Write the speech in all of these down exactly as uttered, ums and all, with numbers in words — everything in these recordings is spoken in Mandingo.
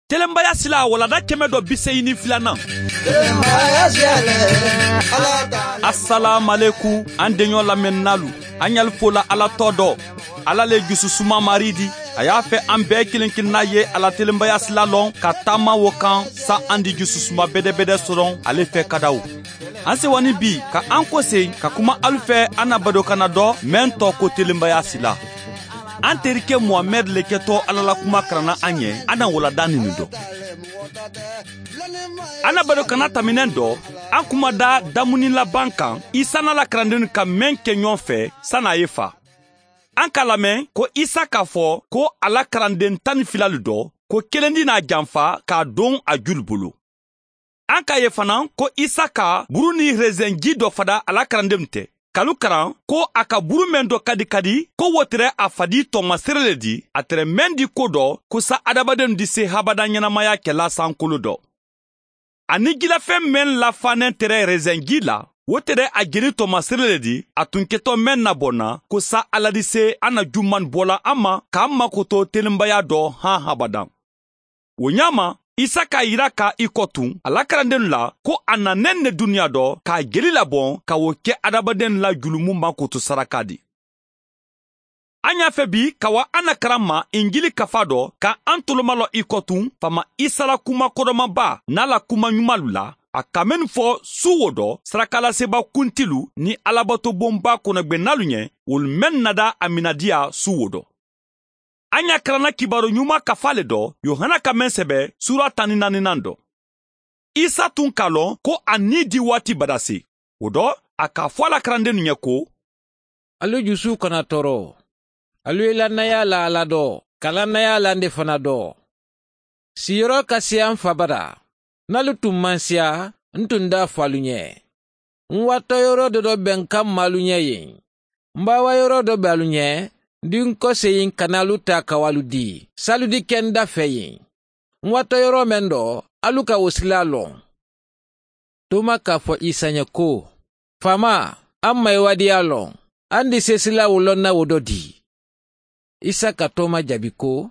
Telenbaya sila walanda kɛmɛ dɔ bi seegin ni filanan. Asalaamualekum, an deɲɔ lamɛnninaalu, an ɲali fola Ala tɔ dɔ. Ala le jususuma Marii di. A y'a fɛ an bɛɛ kelen kelenna ye a la telenbaya sila lɔn ka taama wo kan, sa an di jususuma bɛdɛbɛdɛ sɔrɔ ale fɛ kadaw. An sewa ni bi ka an kosen ka kuma alu fɛ an na badokanna dɔ, meŋ tɔgɔ ko telenbaya sila. An terike muhamɛdi le kɛtɔ Ala la kuma karanna an ye, an na walanda ninnu dɔn. An na badokanna taminɛ dɔ, an kumada damuni laban kan, Isa n'a la karandenw ka meŋ kɛ ɲɔgɔn fɛ sani a ye fa. An ka lamɛn ko Isa k'a fɔ ko a la karanden tan ni filalu dɔ, ko kelen di n'a janfa k'a don a julu bolo. An k'a ye fana ko Isa ka buru ni reseŋ ji dɔ fada a la karandenw tɛ, k'alu karan ko a ka buru meŋ dɔ ka di ka di, ko wo tere a fadi tɔɔma sere le di, a tere meŋ di ko dɔ, ko sa hadamadenw di se habada ɲɛnamaya kɛla sankolo dɔ. A ni jilafɛn meŋ lafannen tere reseŋ ji la, wo tere a jeli tɔɔma sere le di, a tun kɛtɔ meŋ na bɔ na, ko sa Ala di se a na juman bɔla an ma, k'an makoto telenbaya dɔ han habada. Wo ɲaama, Isa k'a yira ka i kɔtun a la karandenw la ko a nanen ne duniya dɔ k'a jeli labɔn ka wo kɛ hadamadenw la julumu makoto saraka di. An y'a fɛ bi ka wa an na karan ma injili kafa dɔ ka an tolomalɔ i kɔtun faama Isa la kuma kodɔnmaba n'a la kuma ɲumanlu la, a ka mennu fɔ su wo dɔ sarakalaseba kuntilu ni alabatobonba kɔnɔgwennaalu ɲɛ, wolu mennu nada a minadiya su wo dɔ. An y'a karanna kibaru ɲuman kafa le dɔ yohana ka meŋ sɛbɛ suura tan ni naaninan dɔ. Isa tun k'a lɔn ko a ni di waati badase. Wo dɔ, a k'a fɔ a la karandennu ɲɛ ko: Alu jusu kana tɔɔrɔ. Alu ye lannaya la Ala dɔ, ka lannaya la nde fana dɔ. Siyɔrɔ ka siya n fa bada. N'alu tun maŋ siya, n tun d'a fo alu ɲɛ. N watɔyɔrɔ dɔ dɔ be n kamma alu ɲɛ yen. N baawaayɔrɔ dɔ be alu ɲɛ, n di n kɔseyi n kana alu taa ka wo alu di, saalu di ke n da fɛ yen. N watɔyɔrɔ meŋ dɔ, alu ka wo sila loŋ. Toma k'a fo Isa ɲɛ ko: Faamaa, a mayiwadiya loŋ, a ni di se sila wo loŋ na wo dɔ di. Isa ka toma jabi ko: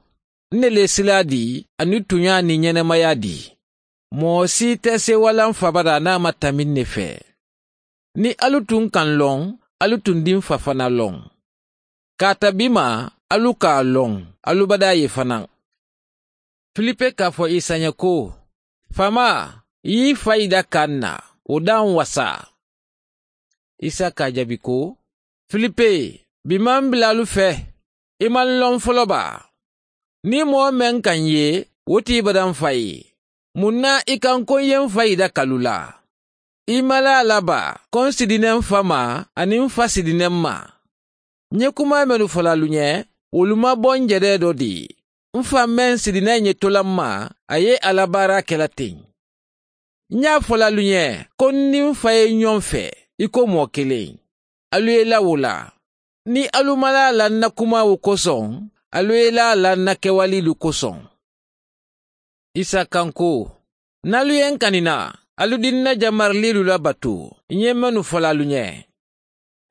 N ne le sila di, aniŋ tuɲa niŋ ɲenamaya di. Moo si te se wala n fa bada niŋ a ma tambi n ne fɛ. Niŋ alu tun ka n loŋ, alu tun di n fa fana loŋ. Kaata bi ma, alu ka a loŋ, alu bada ye fanaŋ. Filipe k'a fo isa ɲɛ ko: Faamaa, i y'i fa yida ka n na, wo da n wasa. Isa k'a jabi ko: Filipe, bi ma n bila alu fe, i ma n loŋ folo ba? Niŋ moo meŋ ka n ye, wo ti i bada n fa ye. Muŋ na i ka n ko n ye n fa yida ka lu la? I malaa la ba ko n sidine n fa ma, aniŋ n fa sidine n ma? N ye kuma mennu fola alu ɲe, wolu ma bo n jedee do di. N fa meŋ sidina n ye tola n ma, a ye a la baaraa ke la teŋ. N ye a fola alu ɲe ko n niŋ n fa ye ɲoŋ fe, i ko moo keleŋ. Alu ye i la wo la. Niŋ alu malaa la n na kumaawo kosoŋ, alu ye i laa a la n na kewaliilu kosoŋ. Isa ka n ko: Niŋ alu ye n kani na, alu di n na jamariliilu la batu n ye mennu fola alu ɲe.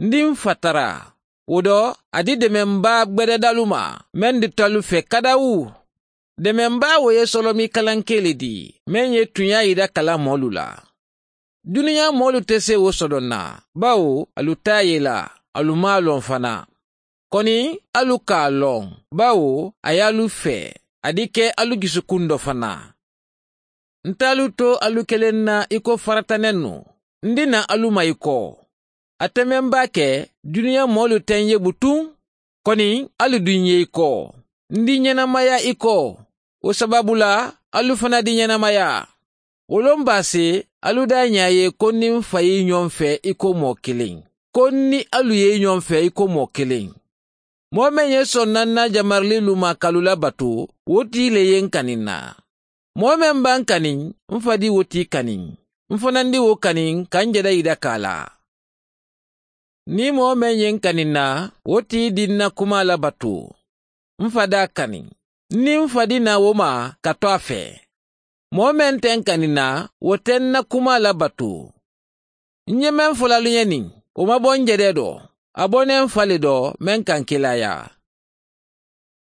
N di n fa tara, wo do a di demenbaa gbededalu ma, meŋ dita alu fe kadawu. Demenbaa wo ye solomi kalankee le di, meŋ ye tuɲaa yida kala moolu la. Duniyaa moolu te se wo sodoŋ na, bawo alu te a ye la, alu maŋ a loŋ fanaa. Koni alu ka a loŋ, bawo a ye alu fee, a di ke alu jusukuŋ do fanaa. Nte alu to alu keleŋ na i ko farata nennu. N di na alu ma i ko, a temenbaa ke duniyaa moolu te n ye butuŋ. Koni alu di n ye i ko, n di ɲenamaya i ko. Wo sabaabu la alu fanaa di ɲenamaya. Wo loŋ baasi, alu daa ɲaa ye ko n niŋ n fa ye i ɲoŋ fee i ko moo keleŋ, ko n niŋ alu ye i ɲoŋ fee i ko moo keleŋ. Moo meŋ ye soŋ na n na jamariliilu ma ka alu la batu, wo tii le ye n kani n na. Moo meŋ be n kani, n fa di wo tii kani, n fanaa di wo kani ka n jeda yida ka a la. Niŋ moo meŋ ye n kani n na, wo tii di n na kumaa la batu. N fa daa kani, n niŋ n fa di na wo ma ka to a fee. Moo meŋ te n kani n na, wo te n na kumaa la batu. N ye meŋ fola alu ɲe niŋ, wo ma bo n jedee do, a bo ne n fa le do meŋ ka n kiilaayaa.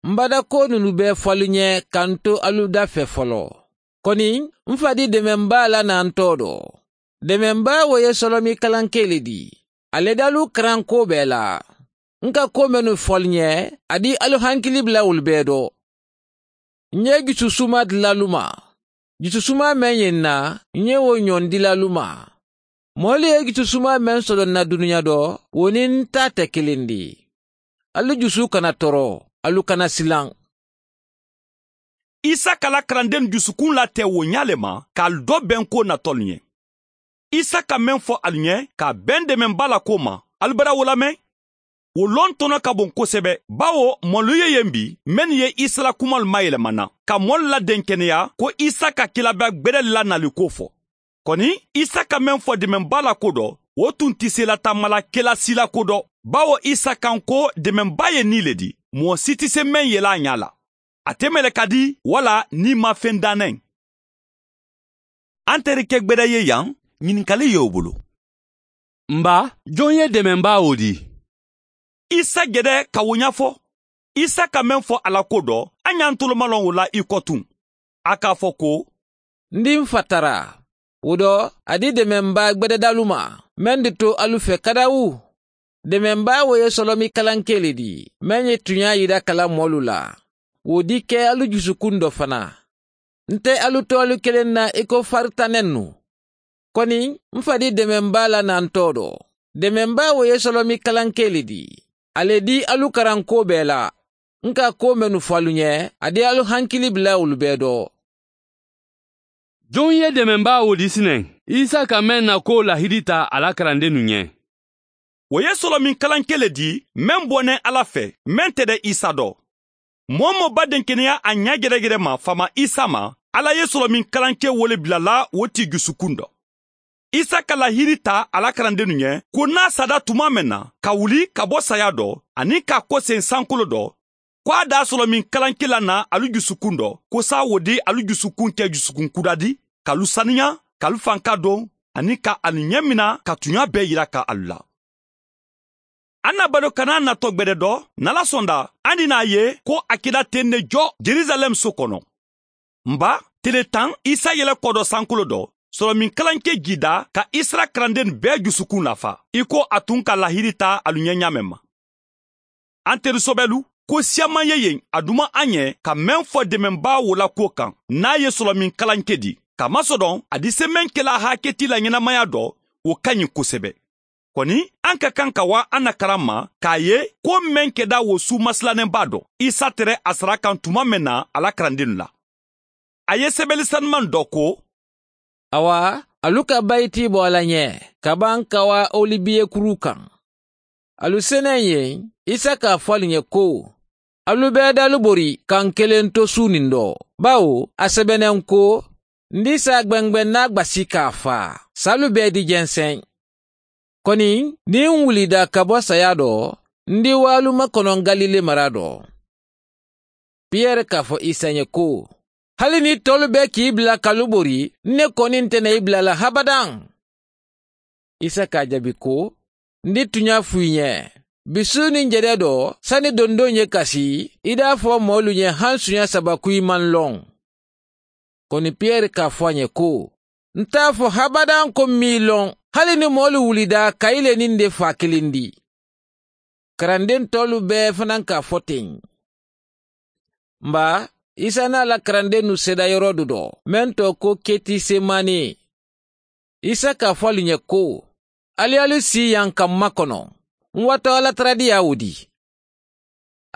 M badakoonu nu bee fo alu ñe ka n to alu dafee foloo. Koni m fa di demen baa la naa n too do. Demen baa wo ye solomi kalankee le di. A le dalu karankoo bee la n ka koo mennu fo alu ñe a di alu hankili bula wolu bee do. N ye jusu suma dila alu ma. Jusu suma meŋ ye n na n ye wo ñoŋ dila alu ma. Moolu ye jusu suma meŋ soto n na duniya do wo niŋ n taa te kiliŋ di. Alu jusu kana toro. Alu kana silaŋ. Isaka la karandennu jusukuŋ la te wo ñaa le ma ka alu do benkoo natolu ñe. Isaka meŋ fo alu ñe ka a beŋ demen baa la koo ma, alu bada wo la meŋ? Wo lontono ka boŋ kosebe, bawo moolu ye yeŋ bi mennu ye isa la kumalu mayelema n na ka moolu la denkeneyaa ko isa ka kilaabaa gbede le la naaliko fo. Koni isa ka meŋ fo demen baa la ko do, wo tun ti seelataamala kela siila ko do. Bawo isa kaŋ ko demen baa ye nii le di, moo si ti se meŋ yele a ñaa la. A te meleka di walla nii maŋ feŋ daa neŋ. Anterike gbeda ye yaŋ, ñininkali ye wo bulu. M baa, joŋ ye demen baa wo di? Isa gede ka wo ñafo. Isa ka meŋ fo a la ko do, a ñantolu ma loŋ wo la i kotuŋ. A ka a fo ko, n di n fa tara. Wo do a di demen baa gbededaalu ma, meŋ di to alu fe kadawu. Demen baa wo ye solomi kalankee le di, meŋ ye tuñaa yida kala moolu la. Wo di ke alu jusukuŋ do fanaa. N te alu to alu keleŋ na i ko faritanennu. Koni m fa di demen baa la naa n too do. Demen baa wo ye solomi kalankee le di. A le di alu karankoo bee la n ka koo mennu fo alu ñe, a di alu hankili bula wolu bee do. Joŋ ye demen baa wo di sineŋ? Isa ka meŋ na koo lahidi taa a la karandennu ñe. Wo ye solomi kalankee le di meŋ boneŋ alla fe, meŋ te de isa do. Moo-wo-moo badenkeneya a ña gedegede ma faama isa ma, alla ye solomi kalankee wo le bila la wo ti jusukuŋ do. Isa ka lahidi taa a la karandennu ñe ko niŋ a sada tumaa meŋ na ka wuli ka bo saya do, aniŋ ka a koseŋ sankolo do, ko a daa solomi kalankee la naa alu jusukuŋ do, ko saawo di alu jusukuŋ ke jusukuŋ kuda di, ka alu saniyaa, ka alu fanka doŋ, aniŋ ka alu ñemina ka tuñaa bee yira ka alu la. Aŋ na bado kana a nato gbede do, ǹ na la sonda aŋ di naa ye ko a keda teŋ ne jo jerusalem so kono. M baa, tele taŋ isa yele kodo sankolo do, solomi kalankee jiida ka isa la karandennu bee jusukuŋ lafaa i ko a tuŋ ka lahidi taa alu ñe ñaameŋ ma. Aŋ telu sobelu, ko siyaŋ maŋ ye yeŋ a duma a ñe ka meŋ fo demen baa wo la kuwo kaŋ, niŋ a ye solomi kalankee di, kamasodoŋ a di se meŋ kela a haakiti la ñenamaya do, wo ka ñiŋ kosebe. Koni aŋ ka kaŋ ka waa aŋ na karaŋ ma ka a ye ko meŋ keda wo suuma silaneŋ baa do, isa tere a sara kaŋ tuma meŋ na a la karandennu la. A ye sebeli sanumaŋ do ko, awa, alu ka bayiti bo a la ñe ka baŋ ka waa olibiye kuruu kaŋ. Alu seneŋ ye, isa ka a fo alu ñe ko, alu bee dalu bori ka n keleŋ to suuniŋ do, bawo a sebeneŋ ko, n di saa gbengbeŋ naa gbasi ka a faa saalu bee di jenseŋ. Koni niŋ n wulida ka bo saya do, n di waalu makono n galile mara do. Piyere ka a fo isa ñe ko, hali niŋ toolu be ka i bila ka lu bori, n ne koni nte na i bila la habadaŋ. Isa ka a jabi ko, n di tuñaa fo i ñe, bisuuni n jede do sani dondoŋ ye kasi i daa fo moolu ñe hansuña saba ko i maŋ loŋ. Koni piyere ka a fo a ñe ko, n te a fo habadaŋ ko m maŋ i loŋ, hali niŋ moolu wulida ka i le niŋ n de faa kiliŋ di. Karandentoolu bee fanaa ka a fo teŋ. N baa, isa niŋ a la karandennu seeda yorodu do meŋ to ko ketisemani. Isa ka a fo alu ñe ko, ali ye alu sii yaŋ ka m makono, n wato alataradiyaa wo di.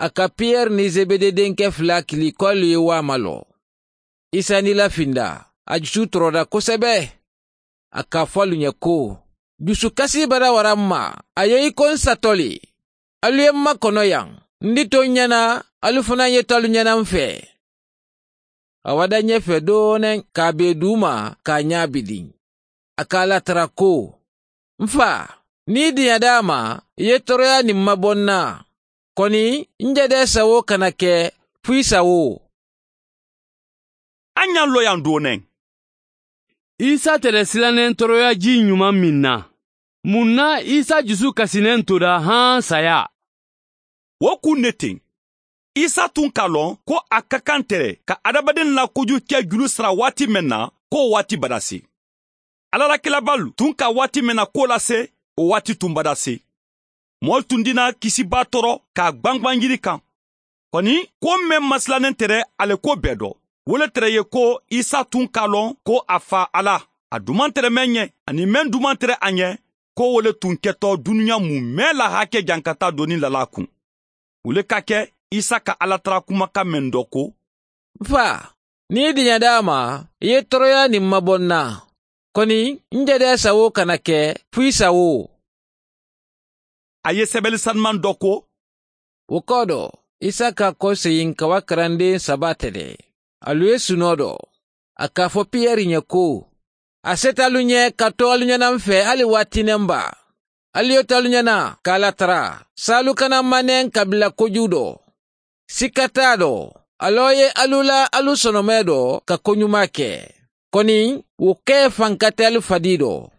A ka piyere niŋ zebede denke fula kili ko alu ye waama loo. Isa niŋ i lafinda, a jusu toroda kosebe. A ka a fo alu ñe ko, jusu kasi bara wara m ma, a ye i ko n sato le. Alu ye m makono yaŋ, n di to n ñana, alu fanaa ye to alu ñana m fee. A wada ñe fee dooneŋ ka a bee duuma ka a ñaabidiŋ. A ka a latara ko, n faa, niŋ i diyadaa ma, i ye toroyaa niŋ ma boŋ naa. Koni n jedee sawoo kana ke fo i sawoo. A ñaŋ loyaŋ dooneŋ. Isa tere silaneŋ toroyaa jii ñumaŋ meŋ na, muŋ na isa jusu kasineŋ todaa haŋ sayaa? Wo kuŋ ne teŋ. Isa tun ka a loŋ ko a ka kaŋ tere ka hadamadenw la koju ke julu sara waati meŋ na, ko wo waati badasi. Alla la kiilabaalu tun ka waati meŋ na kuwo lase, wo waati tun badasi. Moolu tun dina kisibaa toro ka a gbangban yiri kaŋ. Koni, ko meŋ masilaneŋ tere a le ko bee do, wo le tere ye ko isa tun ka a loŋ ko a faa alla, a dumantere meŋ ɲe aniŋ meŋ dumantere a ɲe, ko wo le tun ketɔ duniya mu mee la hake jankata doni lala kuŋ. Wo le ka ke isa ka alla tara kumakaŋ meŋ do ko, n faa, niŋ i diɲa daa ma, i ye toroyaa niŋ maboŋ na. Koni, n je de sawo kana ke fo i sawo. A ye sebeli sanumaŋ do ko, wo koodo, isa ka a koseyiŋ ka wa karandeŋ saba tede. Alu ye sunoo do, a ka a fo piyeri ɲe ko, a seta alu ɲe ka to alu ɲana n fe hali waati ne n ba. Alu ye to alu ɲana ka alla tara, saalu kana maneŋ kabila koju do. Sikka taa do, aloo ye alu la alu sonomee do ka koɲumaa ke. Koni, wo kee fanka te alu fadii do.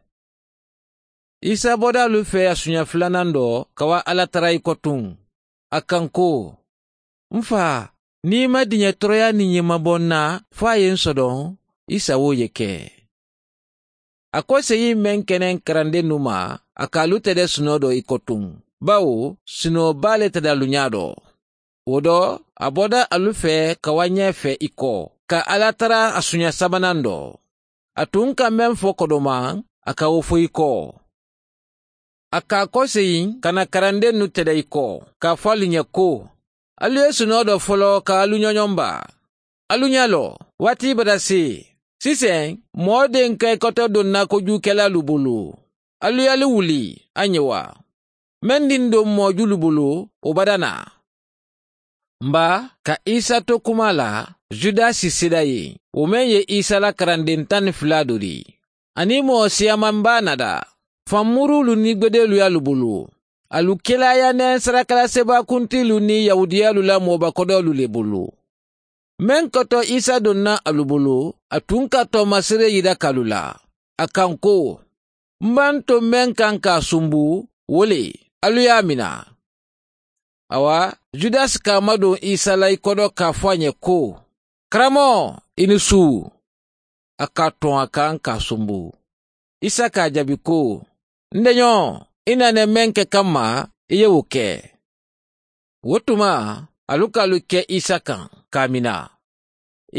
Isa bodaalu fee a suɲa fulanando ka wa alla tara i kotuŋ. A kaŋ ko, n faa, niŋ i ma diɲe toroyaa niŋ ɲimaboŋ na fo a ye n sodoŋ, i sawoo ye ke. A ko seyiŋ meŋ keneŋ karandennu ma, a ka a lu tede sunoo do i kotuŋ, bawo sunoo baa le tede a lu ɲaa do. Wo do, a boda alu fee ka wa ɲee fee i ko, ka alla tara a suɲa sabanando. A tun ka meŋ fo kodomaŋ, a ka wo fo i ko. A ka a koseyiŋ ka na karandennu tede i ko, ka a fo alu ɲe ko, alu ye sunoo do foloo ka alu ɲoɲoŋ baa. Alu ɲa loo, waati bada si, siseŋ, moo denka i koto donna kojuukelaalu bulu. Alu ye alu wuli, a ɲe wa? Meŋ diŋ doŋ moo julu bulu, wo bada na. M ba, ka isa to kuma la, judasi sida ye, wo meŋ ye isa la karandeŋ taŋ ni fula dori, aniŋ moo siyaman baa nada, fanmuruulu niŋ gbedeelu ye alu bulu. Alu kilaaya neŋ sarakalasibakuntiilu niŋ yahuudiyaalu la moobakodoolu le bulu. Meŋ koto isa donna alu bulu, a tun ka toomasiree yidakaalu la, a kaŋ ko, m banta meŋ kaŋ ka a sumbu, wo le, alu ye a mina. Awa, judasi ka a maduŋ isa la i kodo ka a fo a ɲe ko, karamoo, i ni suu. A ka a toŋ a kaŋ ka a sumbu. Isa ka a jaabi ko, n deɲoo, i na ne meŋ ke kamma, i ye wo ke. Wo tuma, alu ka alu ke isa kaŋ, ka a mina.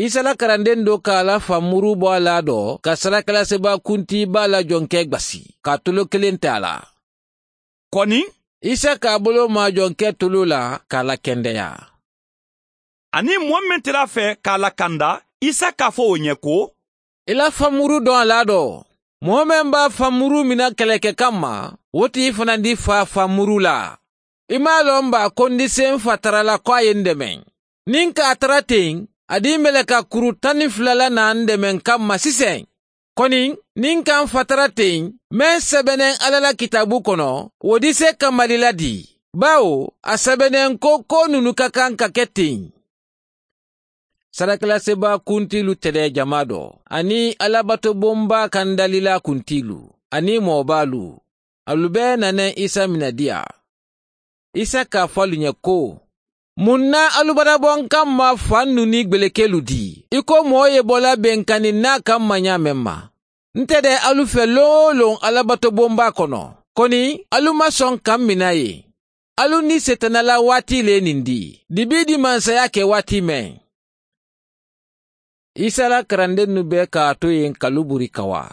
Isa la karandeŋ doo ka a la fanmuru bo a laa do ka sarakalasibakuntii baa la jonkee gbasi, ka a tuloo kiliŋ te a la. Koni, isa ka a buloo maa jonkee tuloo la, ka a lakendeyaa. Aniŋ moo meŋ tera a fee ka a lakanda, isa ka a fo wo ɲe ko, i la fanmuru doŋ a laa do. Moo meŋ be a fanmuru mina keleke kamma, wo ti i fanandi faa fanmuru la. I maŋ a loŋ baa ko n di se n fa tara la ko a ye n demeŋ? Niŋ ka a tara teŋ, a di meleka kuru taŋ ni fula la naa n demeŋ kamma siseŋ. Koni, niŋ ka n fa tara teŋ, meŋ sebeneŋ alla la kitaabu kono, wo di se kamali la dii, baawo a sebeneŋ ko koo nunu ka kaŋ ka ke teŋ. Sarakalasibakuntiilu tedee jamaa do, aniŋ alabatobonbaa kandalilaa kuntiilu, aniŋ moo baalu, alu bee naneŋ isa mina diya. Isa ka a fo alu ɲe ko, muŋ na alu baraboŋ kamma fannu niŋ gbelekeelu dii i ko moo ye bo la benkaniŋ naa kamma ɲaameŋ ma? Nte de alu fe loŋ-wo-loŋ alabatobonbaa kono, koni alu maŋ soŋ ka m mina ye. Alu ni seetana la waati le nindi, dibiidi mansaya ke waati meŋ. Isa la karandennu bee ka a to yen ka luburi kawa.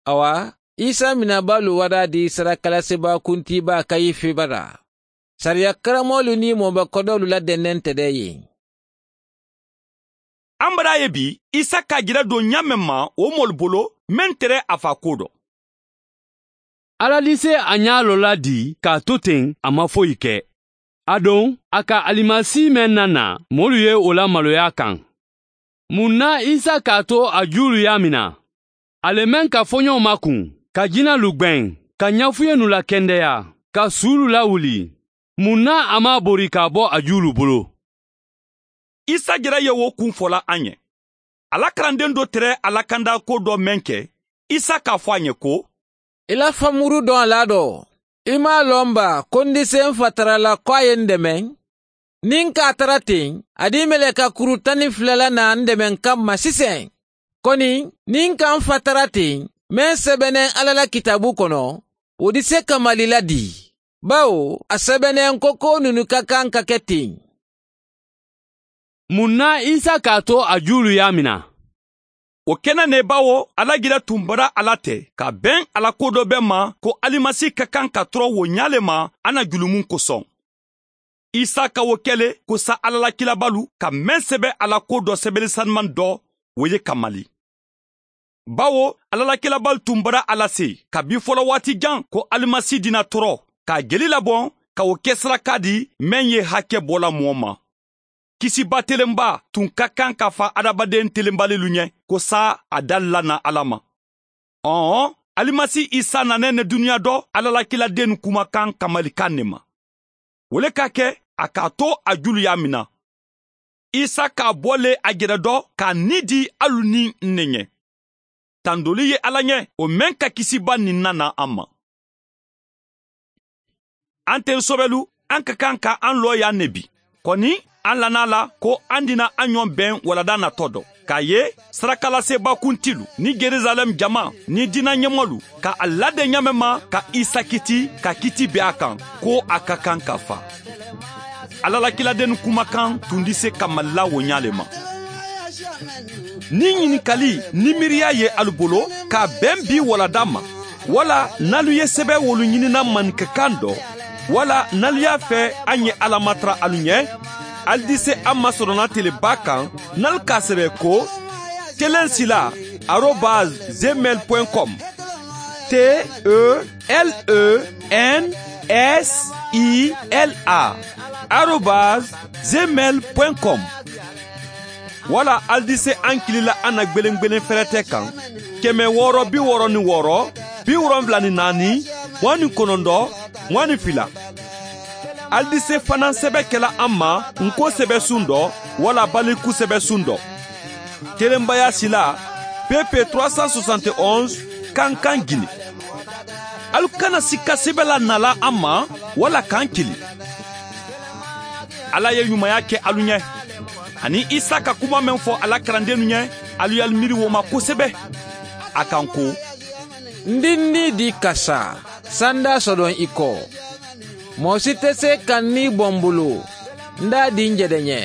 Awa, isa minabaalu wadaadi sarakalasibakuntiibaa kayife bada. Sariya karamoolu niŋ moobakodoolu la dendente de yen. An bada ye bi, isa ka a jira doŋ ɲaa meŋ ma wo moolu bolo, meŋ tere a faa kuwo do. Alla di se a ñaaloo la dii ka a tu teŋ, a maŋ foyi ke. Aduŋ a ka alimasi meŋ na naa, moolu ye wo la maloyaa kaŋ. Muŋ na isa ka a to a juulu ye a mina? A le meŋ ka foñoo makuŋ, ka jinalu gbeŋ, ka ñafuyennu lakendeyaa, ka suulu lawuli, muŋ na a maŋ a bori ka a bo a juulu bulu? Isa jere ye wo kuŋ fola a ñe. A la karandeŋ do tere a la kandaakuwo do meŋ ke, isa ka a fo a ñe ko, i la fanmuru doŋ a la do? I maŋ a loŋ baa ko n di se n fa tara la ko a ye n demeŋ? Niŋ n ka a tara teŋ, a dii meleeka kuru taŋ niŋ fula la naa n deme n kamma siseŋ. Koni niŋ n ka n fa tara teŋ, meŋ sebeneŋ alla la kitaabu kono, wo di se kamali la dii, bawo a sebeneŋ ko koo nunu ka kaŋ ka ke teŋ. Muŋ na isa ka a to a juulu ye a mina? Wo ke na ne bawo alla gila tumbara a la te ka beŋ a la ko do be ma ko alimasi ka kaŋ ka toro wo ñaa le ma a na julumun kosoŋ. Isa ka wo ke le ko sa alla la kilabalu ka meŋ sebe a la ko do sebeli sanumaŋ do, wo ye kamali. Bawo alla la kilabalu tumbara a la se kabi folowaati jaŋ ko alimasi dina toro ka a jeli laboŋ ka wo ke saraka di meŋ ye hake bo la moo ma. Kisiba telenba tun ka kaŋ ka fa hadamaden telenbalilu ñe ko saa a dali la na alla ma. Ɔɔ, alimasi isa nana ne duniya do alla la kiladennu kumakaŋ kamali kaŋ ne ma. Wo le ka ke a ka a to a julu ye a mina. Isa ka a bo le a jere do ka a nii di alu niŋ n ne ñe. Tandoolu ye alla ñe wo meŋ ka kisiba niŋ nana a ma. An ten sobelu, an ka kaŋ ka an looyaa ne bi. Koni an lana a la ko an dina an ñoŋ beŋ wala da nato do ka a ye sarakalaseebaa kuntilu niŋ jerusalem jama niŋ diina ñemolu ka a lade ñaameŋ ma ka isa kiti ka kiti be a kaŋ ko a ka kaŋ ka fa. Alla la kiladennu kumakaŋ tundi se kamali la wo ñaa le ma. Niŋ ñinikali niŋ miiriya ye alu bolo ka a beŋ bii wala da ma, wala naalu ye sebe wolu ñinina maninka kaŋ do, wala naalu ye a fee a ñe alla matara alu ñe, ali di se a masorona tele baa kaŋ naalu ka a sebe ko telen sila arobas zemel point com. T e l e n s i l a arobas zemel point com. Wala ali di se an kili la an na gbelengbelen ferete kaŋ, keme wooro bi wooro ni wooro, bi wolonwula ni naani, muwaŋ ni konondo, muwaŋ ni fila. Ali di se fanaŋ sebe kela an ma n ko sebe sundo wala baliku sebe sundo. Telenbaya sila, pepe trois cent soixante et onze, kankan gini. Alu kana sikka sebe la nala an ma wala kan kili. Alla ye ñumaya ke alu ñe. Aniŋ isa ka kuma meŋ fo a la karandennu ñe, alu ye alu miiri wo ma kosebe. A kaŋ ko, n dinni di ka saa, sanda sodoŋ i ko, moo si te se ka n nii boŋ bulu, n daa di n jede ñe.